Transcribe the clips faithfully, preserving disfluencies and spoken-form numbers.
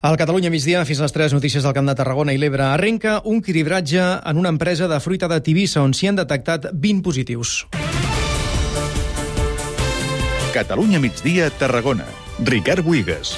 Al Catalunya migdia, fins les tres, notícies del Camp de Tarragona i l'Ebre. Arrenca un cribratge en una empresa de fruita de Tivissa on s'hi han detectat vint positius. Catalunya migdia, Tarragona. Ricard Buigas.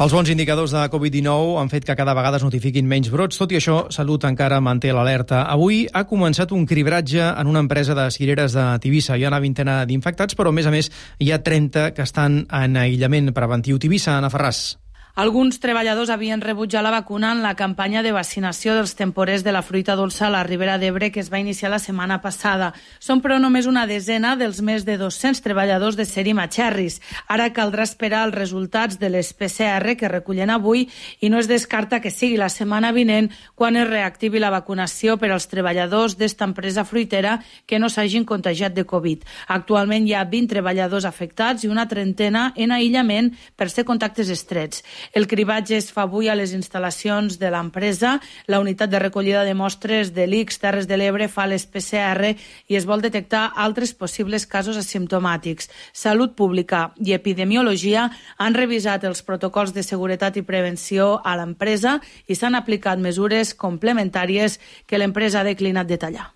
Els bons indicadors de covid dinou han fet que cada vegada es notifiquin menys brots. Tot i això, Salut encara manté l'alerta. Avui ha començat un cribratge en una empresa de cireres de Tivissa. Hi ha una vintena d'infectats, però a més a més hi ha trenta que estan en aïllament preventiu. Tivissa, Anna Ferràs. Alguns treballadors havien rebut ja la vacuna en la campanya de vaccinació dels temporers de la fruita dolça a la Ribera d'Ebre que es va iniciar la setmana passada. Són però només una desena dels més de dos-cents treballadors de Serim a Cherries. Ara caldrà esperar els resultats de les P C R que recullen avui i no es descarta que sigui la setmana vinent quan es reactivi la vacunació per als treballadors d'esta empresa fruitera que no s'hagin contagiat de Covid. Actualment hi ha vint treballadors afectats i una trentena en aïllament per ser contactes estrets. El cribatge es fa avui a les instal·lacions de l'empresa. La unitat de recollida de mostres de l'I C S Terres de l'Ebre fa les P C R i es vol detectar altres possibles casos asimptomàtics. Salut Pública i Epidemiologia han revisat els protocols de seguretat i prevenció a l'empresa i s'han aplicat mesures complementàries que l'empresa ha declinat detallar.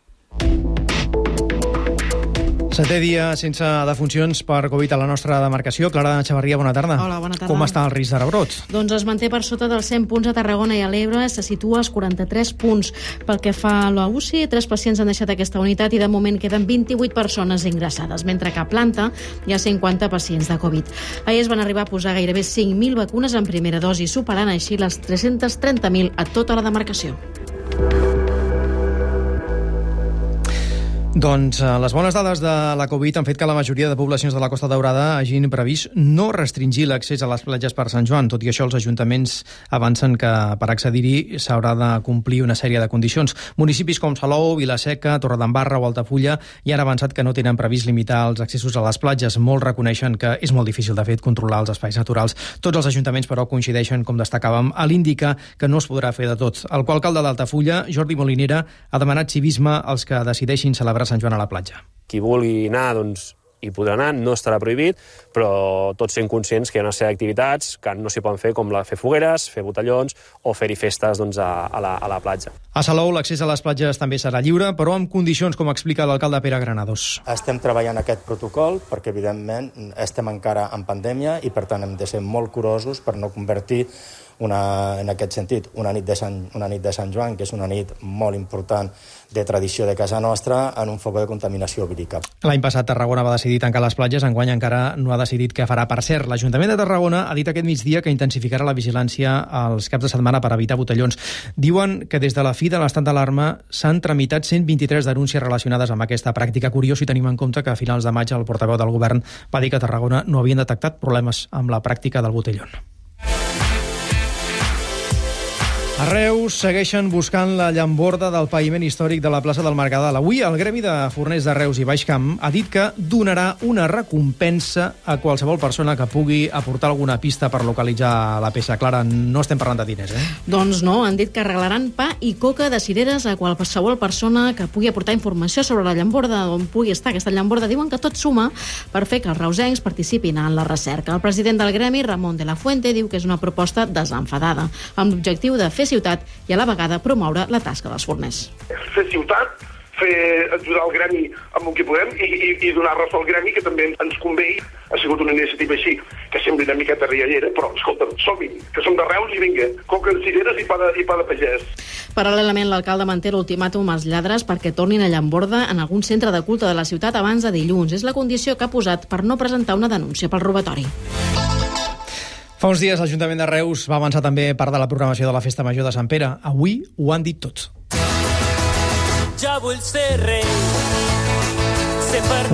Setè dia sense defuncions per Covid a la nostra demarcació. Clara Xavarria, bona tarda. Hola, bona tarda. Com està el risc de rebrot? Doncs es manté per sota dels cent punts a Tarragona i a l'Ebre, se situa als quaranta-tres punts. Pel que fa a la U C I, tres pacients han deixat aquesta unitat i de moment queden vint-i-vuit persones ingressades, mentre que a planta hi ha cinquanta pacients de Covid. Ahir es van arribar a posar gairebé cinc mil vacunes en primera dosi, superant així les tres-cents trenta mil a tota la demarcació. Doncs eh, les bones dades de la Covid han fet que la majoria de poblacions de la Costa Daurada hagin previst no restringir l'accés a les platges per Sant Joan. Tot i això, els ajuntaments avancen que per accedir-hi s'haurà de complir una sèrie de condicions. Municipis com Salou, Vila-seca, Torredembarra o Altafulla ja han avançat que no tenen previst limitar els accessos a les platges. Molts reconeixen que és molt difícil, de fet, controlar els espais naturals. Tots els ajuntaments, però, coincideixen, com destacàvem, a l'indicar que no es podrà fer de tot. El coalcalde d'Altafulla, Jordi Molinera, ha demanat civisme als que decideixin celebrar Sant Joan a la platja. Qui vulgui anar, doncs, hi podrà anar, no estarà prohibit, però tots sent conscients que hi ha una sèrie d'activitats que no s'hi poden fer, com la, fer fogueres, fer botellons o fer-hi festes doncs, a, a, la, a la platja. A Salou l'accés a les platges també serà lliure, però amb condicions, com explica l'alcalde Pere Granados. Estem treballant aquest protocol perquè, evidentment, estem encara en pandèmia i, per tant, hem de ser molt curosos per no convertir Una, en aquest sentit, una nit, de Sant, una nit de Sant Joan, que és una nit molt important de tradició de casa nostra, en un foc de contaminació vírica. L'any passat Tarragona va decidir tancar les platges, enguany encara no ha decidit què farà. Per cert, l'Ajuntament de Tarragona ha dit aquest migdia que intensificarà la vigilància als caps de setmana per evitar botellons. Diuen que des de la fi de l'estat d'alarma s'han tramitat cent vint-i-tres denúncies relacionades amb aquesta pràctica. Curiós si tenim en compte que a finals de maig el portaveu del govern va dir que a Tarragona no havien detectat problemes amb la pràctica del botellón. A Reus segueixen buscant la llamborda del paviment històric de la plaça del Mercadal. Avui el Gremi de Forners de Reus i Baix Camp ha dit que donarà una recompensa a qualsevol persona que pugui aportar alguna pista per localitzar la peça. Clara, no estem parlant de diners, eh? Doncs no, han dit que regalaran pa i coca de cireres a qualsevol persona que pugui aportar informació sobre la llamborda, on pugui estar aquesta llamborda. Diuen que tot suma per fer que els reusencs participin en la recerca. El president del Gremi, Ramon de la Fuente, diu que és una proposta desenfadada, amb l'objectiu de fer ciutat i a la vegada promoure la tasca dels forners. Fer ciutat, fer ajudar el gremi amb el que podem i, i, i donar ressò al gremi, que també ens convé. Ha sigut una iniciativa així, que sembla una miqueta riallera, però, escolta'm, som-hi, que som de Reus i vinga, coca de cireres i pa de, i pa de pagès. Paral·lelament, l'alcalde manté l'ultimàtum als lladres perquè tornin a llamborda en algun centre de culte de la ciutat abans de dilluns. És la condició que ha posat per no presentar una denúncia pel robatori. Fa uns dies l'Ajuntament de Reus va avançar també part de la programació de la Festa Major de Sant Pere. Avui ho han dit tot. Ja vull ser rei.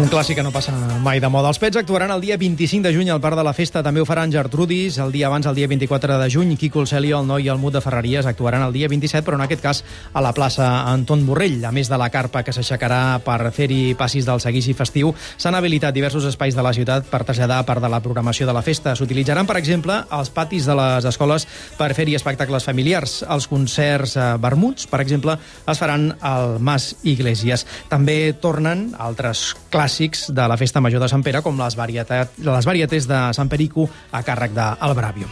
Un clàssic que no passa mai de moda. Els Pets actuaran el dia vint-i-cinc de juny al Parc de la Festa. També ho faran Gertrudis. El dia abans, el dia vint-i-quatre de juny, Quico el Celio, el Noi i el Mut de Ferreries actuaran el dia vint-i-set, però en aquest cas a la plaça Anton Borrell. A més de la carpa que s'aixecarà per fer-hi passis del seguici festiu, s'han habilitat diversos espais de la ciutat per traslladar part de la programació de la festa. S'utilitzaran, per exemple, els patis de les escoles per fer-hi espectacles familiars. Els concerts eh, vermuts, per exemple, es faran al Mas Iglesias. També tornen altres clàssics de la Festa Major de Sant Pere, com les, varietat, les varietés de Sant Perico a càrrec d'El Bravio.